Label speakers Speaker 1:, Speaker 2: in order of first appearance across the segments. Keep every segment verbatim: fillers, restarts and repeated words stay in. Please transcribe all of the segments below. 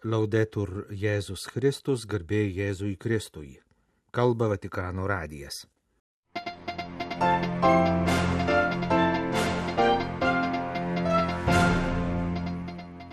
Speaker 1: Laudetur Jėzus Kristus, garbė Jėzui Kristui. Kalba Vatikano radijas.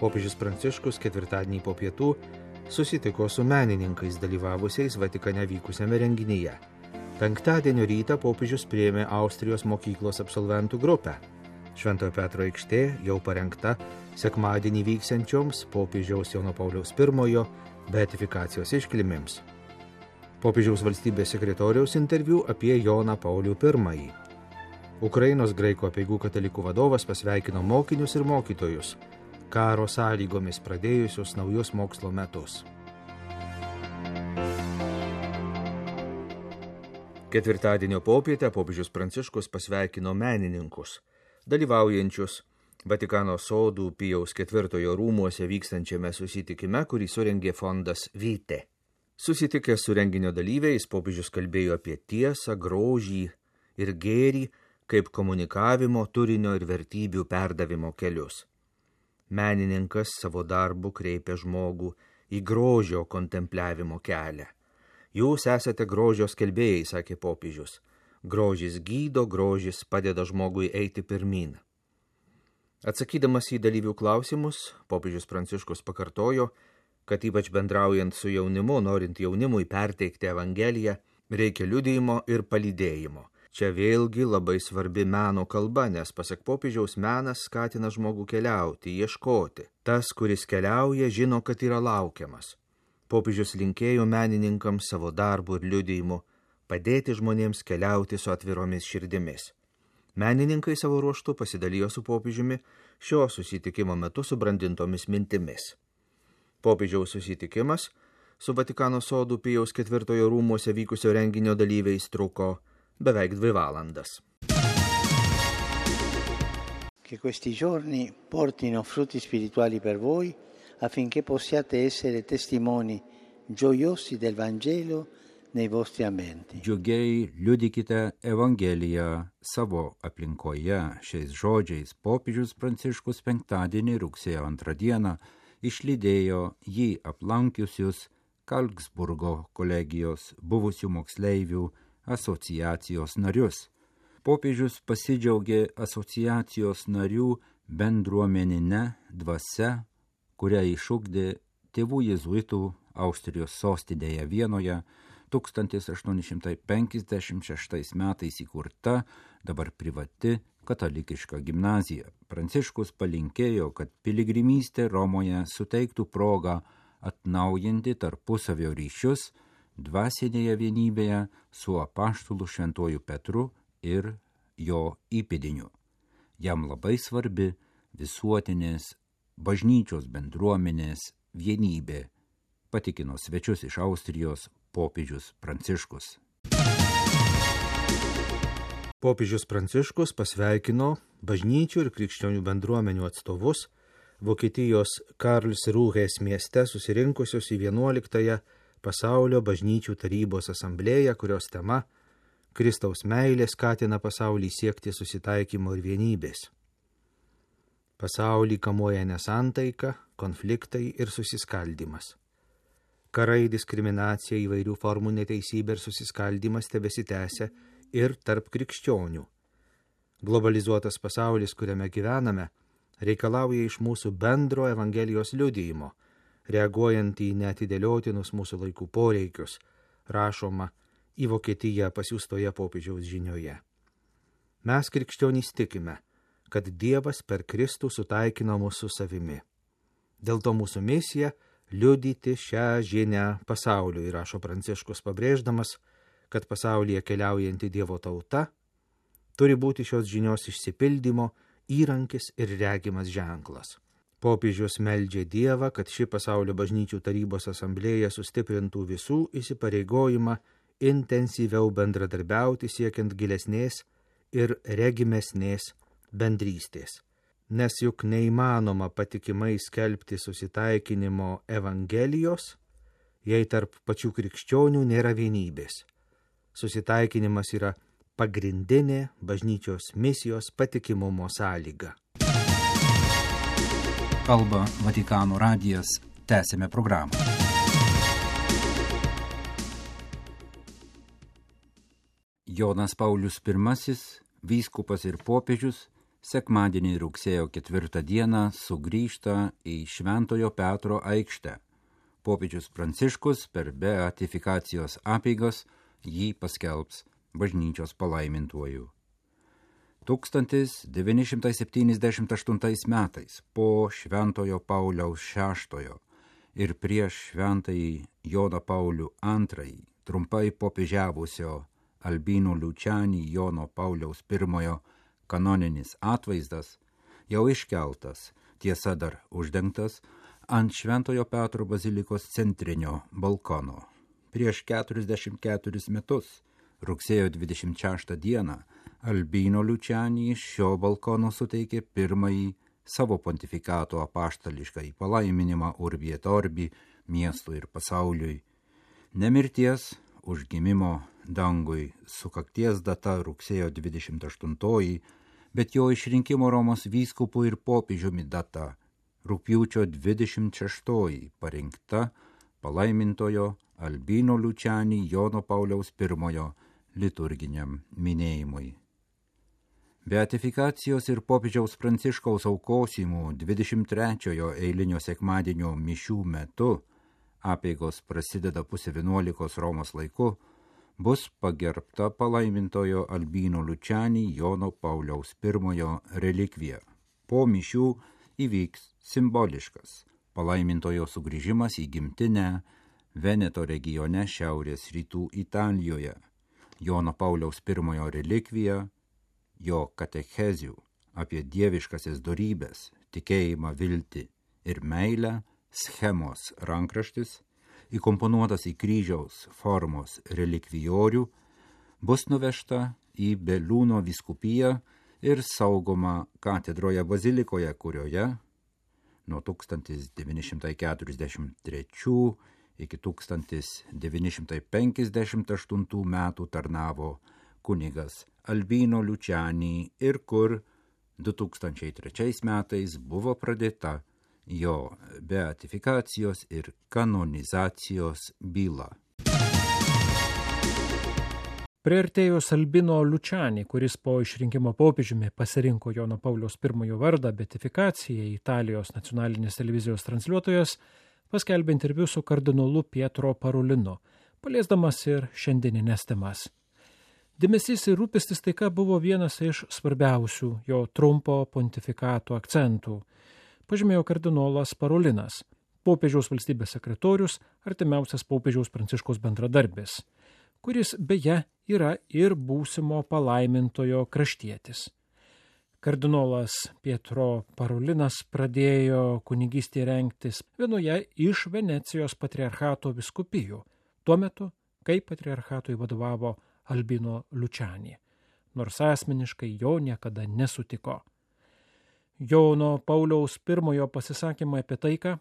Speaker 1: Popiežius Pranciškus ketvirtadienį po pietų susitiko su menininkais dalyvavusiais Vatikane vykusiame renginyje. Penktadienio rytą popiežius priėmė Austrijos mokyklos absolventų grupę. Šventojo Petro aikštė jau parengta sekmadienį vyksiančioms popiežiaus Jono Pauliaus pirmojo beatifikacijos iškilmėms. Popiežiaus valstybės sekretoriaus interviu apie Joną Paulių pirmąjį. Ukrainos graikų apeigų katalikų vadovas pasveikino mokinius ir mokytojus, karo sąlygomis pradėjusius naujus mokslo metus. Ketvirtadienio popietę popiežius Pranciškus pasveikino menininkus, dalyvaujančius Vatikano sodų Pijaus ketvirtojo rūmuose vykstančiame susitikime, kurį surengė fondas Vite. Susitikęs su renginio dalyviais, popiežius kalbėjo apie tiesą, grožį ir gėrį kaip komunikavimo, turinio ir vertybių perdavimo kelius. Menininkas savo darbu kreipia žmogų į grožio kontempliavimo kelią. Jūs esate grožio skelbėjai, sakė popiežius. Grožis gydo, grožis padeda žmogui eiti pirmyn. Atsakydamas į dalyvių klausimus, popiežius Pranciškus pakartojo, kad ypač bendraujant su jaunimu, norint jaunimui perteikti Evangeliją, reikia liudijimo ir palydėjimo. Čia vėlgi labai svarbi meno kalba, nes pasak popiežiaus menas skatina žmogų keliauti, ieškoti. Tas, kuris keliauja, žino, kad yra laukiamas. Popiežius linkėjo menininkams savo darbu ir liudijimu padėti žmonėms keliauti su atviromis širdimis. Menininkai savo ruožtu pasidalijo su popiežiumi šio susitikimo metu subrandintomis mintimis. Popiežiaus susitikimas su Vatikano sodų Pijaus ketvirtojo rūmuose vykusio renginio dalyviais truko beveik dvi valandas.
Speaker 2: Che questi giorni portino frutti spirituali per voi, affinché possiate essere testimoni gioiosi del Vangelo nei vostri ambienti.
Speaker 3: Džiugiai liudykite Evangeliją savo aplinkoje. Šiais žodžiais popiežius Pranciškus penktadienį rugsėjo antrą dieną išlydėjo jį aplankiusius Kalksburgo kolegijos buvusių moksleivių asociacijos narius. Popiežius pasidžiaugė asociacijos narių bendruomenine dvasia, kurią išugdė tėvų jėzuitų Austrijos sostinėje Vienoje tūkstantis aštuoni šimtai penkiasdešimt šeštais metais įkurta, dabar privati katalikiška gimnazija. Pranciškus palinkėjo, kad piligrimystė Romoje suteiktų progą atnaujinti tarpusavio ryšius dvasinėje vienybėje su apaštulu Šventuoju Petru ir jo įpėdiniu. Jam labai svarbi visuotinės bažnyčios bendruomenės vienybė, patikino svečius iš Austrijos popiežius Pranciškus.
Speaker 1: Popiežius Pranciškus pasveikino bažnyčių ir krikščionių bendruomenių atstovus Vokietijos Karlsrūhės mieste susirinkusius į vienuoliktąją pasaulio bažnyčių tarybos asamblėją, kurios tema Kristaus meilė skatina pasaulį siekti susitaikymo ir vienybės. Pasaulį kamuoja nesantaika, konfliktai ir susiskaldimas. Karai, diskriminacija, įvairių formų neteisybė ir susiskaldimas tebesitęsia ir tarp krikščionių. Globalizuotas pasaulis, kuriame gyvename, reikalauja iš mūsų bendro Evangelijos liudijimo, reaguojant į neatidėliotinus mūsų laikų poreikius, rašoma į Vokietiją pasiųstoje popiežiaus žinioje. Mes krikščionys tikime, kad Dievas per Kristų sutaikino mus su savimi. Dėl to mūsų misija liudyti šią žinią pasauliui, rašo Pranciškus, pabrėždamas, kad pasaulyje keliaujanti Dievo tauta turi būti šios žinios išsipildymo įrankis ir regimas ženklas. Popiežius meldžia Dievą, kad ši pasaulio bažnyčių tarybos asamblėja sustiprintų visų įsipareigojimą intensyviau bendradarbiauti siekiant gilesnės ir regimesnės bendrystės. Nes juk neįmanoma patikimai skelbti susitaikinimo Evangelijos, jei tarp pačių krikščionių nėra vienybės. Susitaikinimas yra pagrindinė bažnyčios misijos patikimumo sąlyga.
Speaker 3: Kalba Vatikano radijas. Tęsime programą. Jonas Paulius pirmasis, vyskupas ir popiežius, sekmadienį rugsėjo ketvirtą dieną sugrįžta į Šventojo Petro aikštę. Popiežius Pranciškus per beatifikacijos apeigas jį paskelbs bažnyčios palaimintuoju. tūkstantis devyni šimtai septyniasdešimt aštuntais metais po Šventojo Pauliaus šeštojo ir prieš Šventąjį Joną Paulių antrąjį trumpai popiežiavusio Albino Luciani Jono Pauliaus pirmojo kanoninis atvaizdas jau iškeltas, tiesa dar uždengtas, ant Šventojo Petro bazilikos centrinio balkono. Prieš keturiasdešimt keturis metus, rugsėjo dvidešimt šeštą dieną, Albino Luciani iš šio balkono suteikė pirmąjį savo pontifikato apaštališką palaiminimą Urbi et Orbi miestui ir pasauliui. Nemirties užgimimo dangui sukakties data rugsėjo dvidešimt aštuntoji, bet jo išrinkimo Romos vyskupų ir popiežiumi data rugpjūčio dvidešimt šeštoji parinkta palaimintojo Albino Luciani Jono Pauliaus pirmojo liturginiam minėjimui. Beatifikacijos ir popiežiaus Pranciškaus aukosimų dvidešimt trečiojo eilinio sekmadienio mišių metu, apeigos prasideda pusė vienuolikos Romos laiku, bus pagerbta palaimintojo Albino Luciani Jono Pauliaus pirmojo relikvija. Po mišių įvyks simboliškas palaimintojo sugrįžimas į gimtinę Veneto regione šiaurės rytų Italijoje. Jono Pauliaus pirmojo relikvija, jo katechezių apie dieviškasias dorybes, tikėjimą, viltį ir meilę schemos rankraštis, įkomponuotas į kryžiaus formos relikvijorių, bus nuvežta į Belūno vyskupiją ir saugoma katedroje bazilikoje, kurioje nuo tūkstantis devyni šimtai keturiasdešimt trečių iki tūkstantis devyni šimtai penkiasdešimt aštuntų metų tarnavo kunigas Albino Luciani ir kur du tūkstančiai trečiais metais buvo pradėta jo beatifikacijos ir kanonizacijos byla.
Speaker 4: Priartėjus Albino Luciani, kuris po išrinkimo popiežiumi pasirinko Jono Pauliaus pirmojo vardą beatifikacijai, Italijos nacionalinės televizijos transliuotojas paskelbė interviu su kardinolu Pietro Parolinu, paliesdamas ir šiandieninės temas. Dėmesys ir rūpestis taika buvo vienas iš svarbiausių jo trumpo pontifikato akcentų, pažymėjo kardinolas Parolinas, popiežiaus valstybės sekretorius, artimiausias popiežiaus Pranciškaus bendradarbis, kuris beje yra ir būsimo palaimintojo kraštietis. Kardinolas Pietro Parolinas pradėjo kunigystėje rengtis vienoje iš Venecijos patriarchato vyskupijų, tuo metu, kai patriarchatui vadovavo Albino Luciani, nors asmeniškai jo niekada nesutiko. Jono Pauliaus pirmojo pasisakymą apie taiką,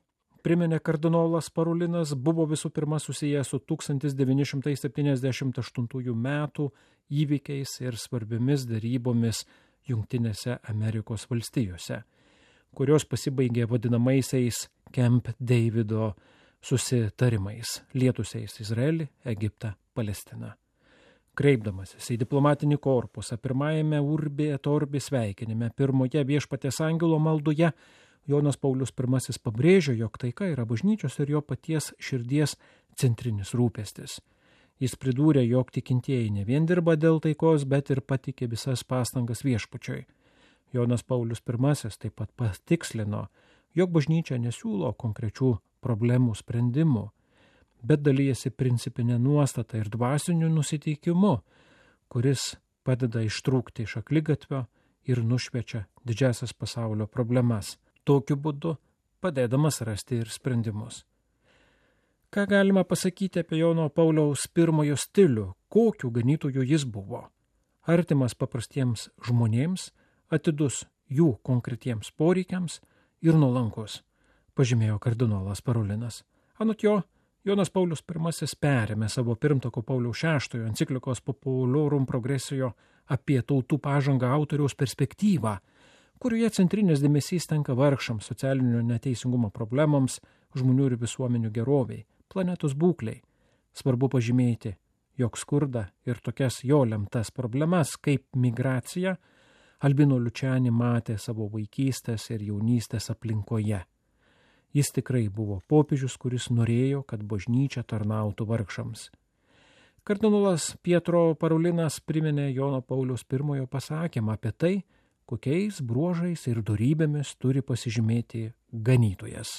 Speaker 4: priminė kardinolas Parolinas, buvo visų pirma susijęs su tūkstantis devyni šimtai septyniasdešimt aštuntųjų metų įvykiais ir svarbiomis darybomis Jungtinėse Amerikos valstijose, kurios pasibaigė vadinamaisiais Camp Davido susitarimais, lietusiais Izraelį, Egiptą, Palestiną. Kreipdamasis į diplomatinį korpusą pirmajame Urbi et Orbi sveikinime, pirmoje Viešpaties angelo maldoje, Jonas Paulius pirmasis pabrėžė, jog taika yra bažnyčios ir jo paties širdies centrinis rūpestis. Jis pridūrė, jog tikintieji ne vien dirba dėl taikos, bet ir patikė visas pastangas Viešpačiui. Jonas Paulius pirmasis taip pat patikslino, jog bažnyčia nesiūlo konkrečių problemų sprendimų, bet dalyjasi principinę nuostatą ir dvasiniu nusiteikimu, kuris padeda ištrūkti iš akligatvio ir nušviečia didžiasias pasaulio problemas, tokiu būdu padėdamas rasti ir sprendimus. Ką galima pasakyti apie Jono Pauliaus pirmojo stilių, kokiu ganytoju jis buvo? Artimas paprastiems žmonėms, atidus jų konkretiems poreikiams ir nuolankus, pažymėjo kardinolas Parolinas. Anot jo, Jonas Paulius pirmasis perėmė savo pirmtako Pauliaus šeštojo enciklikos Populorum Progressio apie tautų pažangą autoriaus perspektyvą, kurioje centrinės dėmesys tenka vargšams, socialinio neteisingumo problemams, žmonių ir visuomenių geroviai, planetos būkliai. Svarbu pažymėti, jog skurdą ir tokias jo lemtas problemas kaip migracija Albino Lučiani matė savo vaikystės ir jaunystės aplinkoje. Jis tikrai buvo popiežius, kuris norėjo, kad bažnyčia tarnautų vargšams. Kardinolas Pietro Parolinas priminė Jono Pauliaus pirmojo pasakymą apie tai, kokiais bruožais ir dorybėmis turi pasižymėti ganytojas.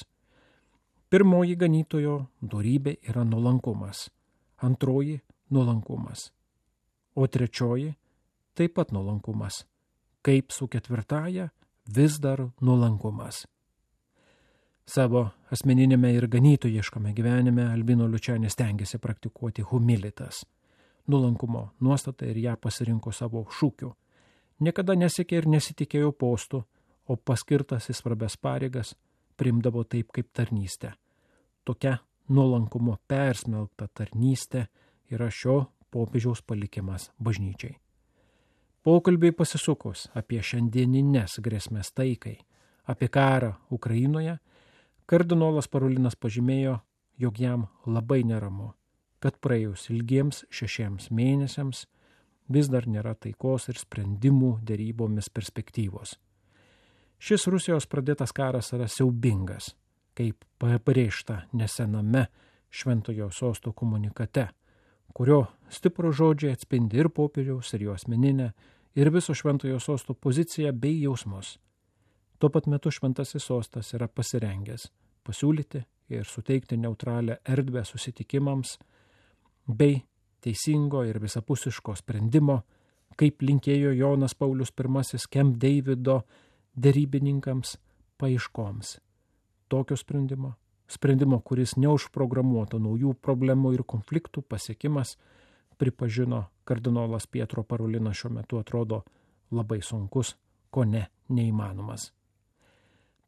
Speaker 4: Pirmoji ganytojo dorybė yra nuolankumas, antroji nuolankumas, o trečioji taip pat nuolankumas, kaip su ketvirtaja vis dar nuolankumas. Savo asmeninėme ir ganytojiškame gyvenime Albino Lučianis stengiasi praktikuoti humilitas, nuolankumo nuostatą ir ją pasirinko savo šūkiu. Niekada nesiekė ir nesitikėjo postų, o paskirtas į svarbias pareigas priimdavo taip kaip tarnystę. Tokia nuolankumo persmelkta tarnystė yra šio popiežiaus palikimas bažnyčiai. Pokalbiai pasisukus apie šiandieninės grėsmės taikai, apie karą Ukrainoje, kardinolas Parolinas pažymėjo, jog jam labai neramu, kad praėjus ilgiems šešiems mėnesiams vis dar nėra taikos ir sprendimų derybomis perspektyvos. Šis Rusijos pradėtas karas yra siaubingas, kaip pabrėžta nesename Šventojo Sosto komunikate, kurio stiprų žodžiai atspindi ir popiežiaus, ir jo asmeninę, ir viso Šventojo Sosto poziciją bei jausmus. Tuo pat metu Šventasis Sostas yra pasirengęs pasiūlyti ir suteikti neutralią erdvę susitikimams bei teisingo ir visapusiško sprendimo, kaip linkėjo Jonas Paulius pirmasis Camp Davido derybininkams paieškoms. Tokio sprendimo, sprendimo, kuris neužprogramuoto naujų problemų ir konfliktų pasiekimas, pripažino kardinolas Pietro Parolinas, šiuo metu atrodo labai sunkus, ko ne neįmanomas.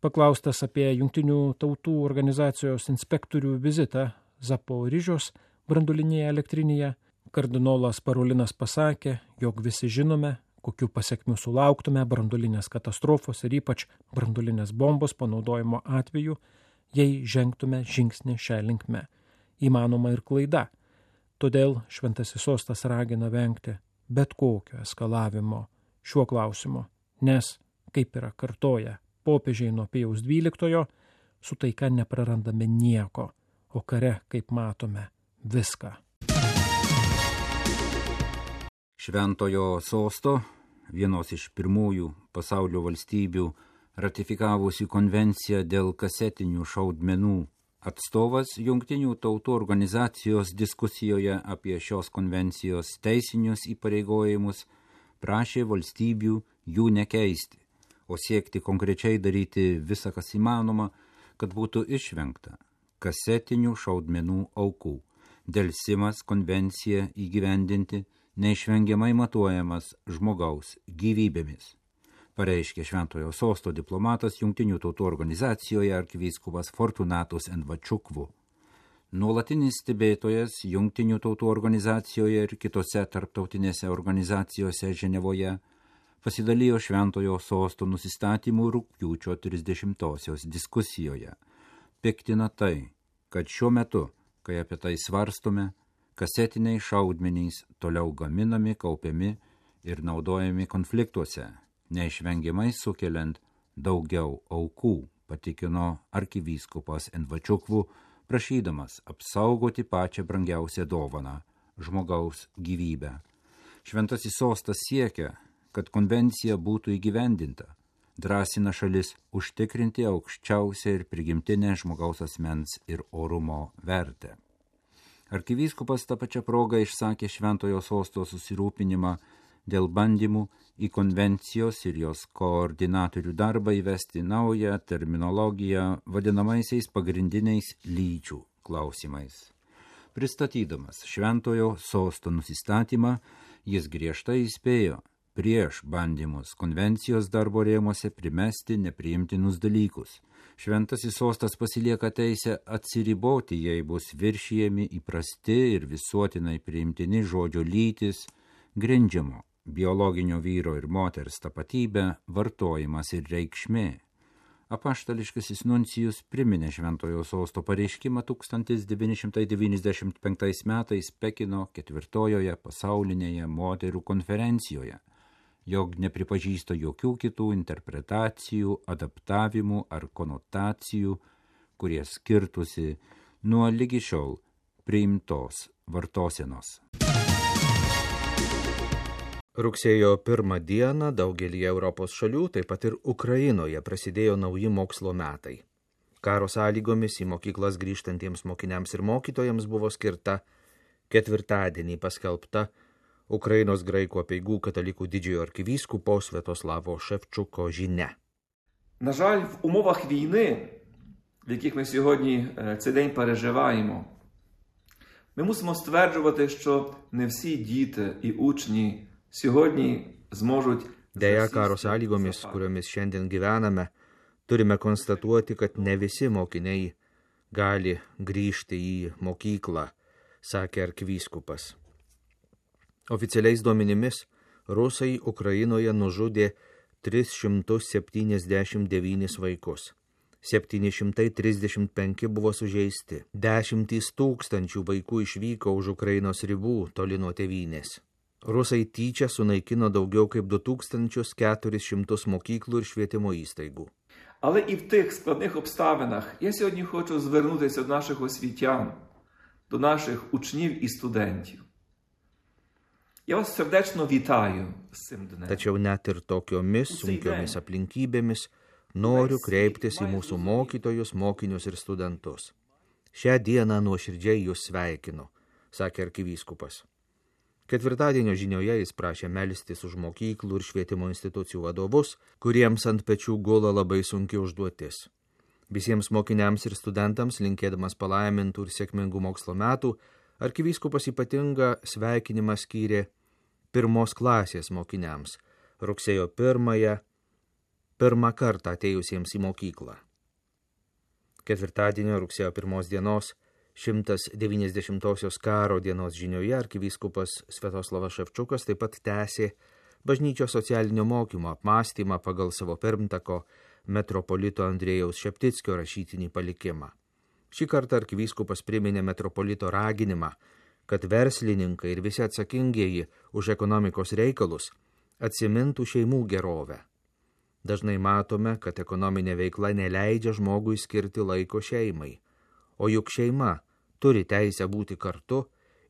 Speaker 4: Paklaustas apie Jungtinių tautų organizacijos inspektorių vizitą Zaporižios branduolinėje elektrinėje, kardinolas Parolinas pasakė, jog visi žinome, kokių pasiekmių sulauktume branduolinės katastrofos ir ypač branduolinės bombos panaudojimo atveju, jei žengtume žingsnį šią linkme. Įmanoma ir klaida. Todėl Šventasis Sostas ragina vengti bet kokio eskalavimo šiuo klausimu, nes, kaip yra kartoja popiežiai nuo Pijaus dvyliktojo, su taika neprarandame nieko, o kare, kaip matome, viską.
Speaker 3: Šventojo Sosto, vienos iš pirmųjų pasaulio valstybių ratifikavusi konvenciją dėl kasetinių šaudmenų, atstovas Jungtinių tautų organizacijos diskusijoje apie šios konvencijos teisinius įpareigojimus prašė valstybių jų nekeisti, o siekti konkrečiai daryti visą, kas įmanoma, kad būtų išvengta kasetinių šaudmenų aukų. Delsimas konvenciją įgyvendinti neišvengiamai matuojamas žmogaus gyvybėmis, pareiškė Šventojo Sosto diplomatas Jungtinių tautų organizacijoje arkivyskupas Fortunatus Envačukvu. Nuolatinis stebėtojas Jungtinių tautų organizacijoje ir kitose tarptautinėse organizacijose Ženevoje pasidalijo Šventojo Sosto nusistatymų rugpjūčio trisdešimtosios diskusijoje. Piktina tai, kad šiuo metu, kai apie tai svarstome, kasetiniai šaudmenys toliau gaminami, kaupiami ir naudojami konfliktuose, neišvengiamai sukeliant daugiau aukų, patikino arkivyskupas Envačukvu, prašydamas apsaugoti pačią brangiausią dovaną – žmogaus gyvybę. Šventasis Sostas siekia, kad konvencija būtų įgyvendinta, drąsina šalis užtikrinti aukščiausią ir prigimtinę žmogaus asmens ir orumo vertę. Arkivyskupas tą pačią progą išsakė Šventojo Sosto susirūpinimą dėl bandymų į konvencijos ir jos koordinatorių darbą įvesti naują terminologiją vadinamaisiais pagrindiniais lyčių klausimais. Pristatydamas Šventojo Sosto nusistatymą, jis griežtai įspėjo prieš bandymus konvencijos darbo rėmuose primesti nepriimtinus dalykus. Šventasis Sostas pasilieka teisę atsiriboti, jei bus viršijami įprasti ir visuotinai priimtini žodžio lytis, grindžiamo biologinio vyro ir moters tapatybė, vartojimas ir reikšmė. Apaštališkasis nuncijus priminė Šventojo sosto pareiškimą tūkstantis devyni šimtai devyniasdešimt penktais metais Pekino ketvirtojoje pasaulinėje moterų konferencijoje, jog nepripažįsta jokių kitų interpretacijų, adaptavimų ar konotacijų, kurie skirtusi nuo lygi šiol priimtos vartosenos.
Speaker 1: Rugsėjo pirmą dieną daugelį Europos šalių, taip pat ir Ukrainoje, prasidėjo nauji mokslo metai. Karo sąlygomis į mokyklas grįžtantiems mokiniams ir mokytojams buvo skirta ketvirtadienį paskelbta Ukrainos graikų apeigų katalikų didžiojo arkivyskupo Святослава Шевчука žinia.
Speaker 5: На жаль, в умовах війни, в яких ми сьогодні цей день переживаємо, ми мусимо стверджувати, що не всі діти і учні sėgodniai zmožut.
Speaker 1: Deja, karo sąlygomis, kuriomis šiandien gyvename, turime konstatuoti, kad ne visi mokiniai gali grįžti į mokyklą, sakė arkivyskupas. Oficialiais duomenimis, rusai Ukrainoje nužudė tris šimtus septyniasdešimt devynis vaikus. septyni šimtai trisdešimt penki buvo sužeisti. Dešimtys tūkstančių vaikų išvyko už Ukrainos ribų toli nuo tėvynės. Rusai tyčia sunaikino daugiau kaip du tūkstančius keturis šimtus mokyklų ir švietimo įstaigų.
Speaker 5: Але і в тих складних обставинах я сьогодні хочу звернутися до наших освітян, до наших учнів і студентів. Я вас сердечно вітаю з цим днем.
Speaker 1: Tačiau net ir tokiomis sunkiomis aplinkybėmis noriu kreiptis į mūsų mokytojus, mokinius ir studentus. Šią dieną nuoširdžiai jūs sveikinu, sakė arkivyskupas. Ketvirtadienio žinioje jis prašė melstis už mokyklų ir švietimo institucijų vadovus, kuriems ant pečių gula labai sunki užduotis. Visiems mokiniams ir studentams, linkėdamas palaimintų ir sėkmingų mokslo metų, arkivyskupas ypatingą sveikinimą skyrė pirmos klasės mokiniams, rugsėjo pirmąją, pirmą kartą atėjusiems į mokyklą. Ketvirtadienio rugsėjo pirmos dienos šimtas devyniasdešimtosios karo dienos žinioje arkivyskupas Sviatoslavas Ševčukas taip pat tęsė bažnyčios socialinio mokymo apmąstymą pagal savo pirmtako metropolito Andrėjaus Šeptickio rašytinį palikimą. Šį kartą arkivyskupas priminė metropolito raginimą, kad verslininkai ir visi atsakingieji už ekonomikos reikalus atsimintų šeimų gerovę. Dažnai matome, kad ekonominė veikla neleidžia žmogui skirti laiko šeimai. O juk šeima turi teisę būti kartu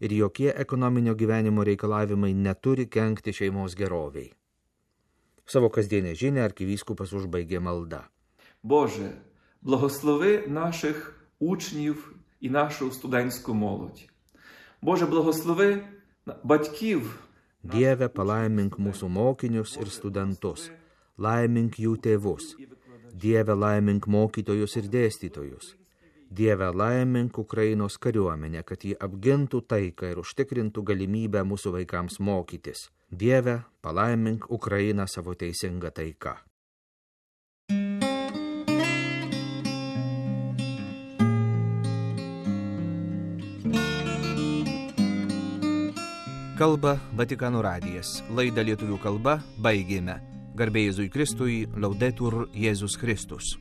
Speaker 1: ir jokie ekonominio gyvenimo reikalavimai neturi kenkti šeimos geroviai. Savo kasdienę žinią arkivyskupas užbaigė malda.
Speaker 5: Боже, благослови наших учнів і нашу студентську молодь. Боже, благослови батьків.
Speaker 1: Dieve, palaimink mūsų mokinius ir studentus, laimink jų tėvus. Dieve, laimink mokytojus ir dėstytojus. Dieve, laimink Ukrainos kariuomenę, kad jį apgintų taiką ir užtikrintų galimybę mūsų vaikams mokytis. Dieve, palaimink Ukrainą savo teisingą taiką. Kalba Vatikano radijas. Laidą lietuvių kalba baigėme. Garbė Jėzui Kristui, Laudetur Jėzus Kristus.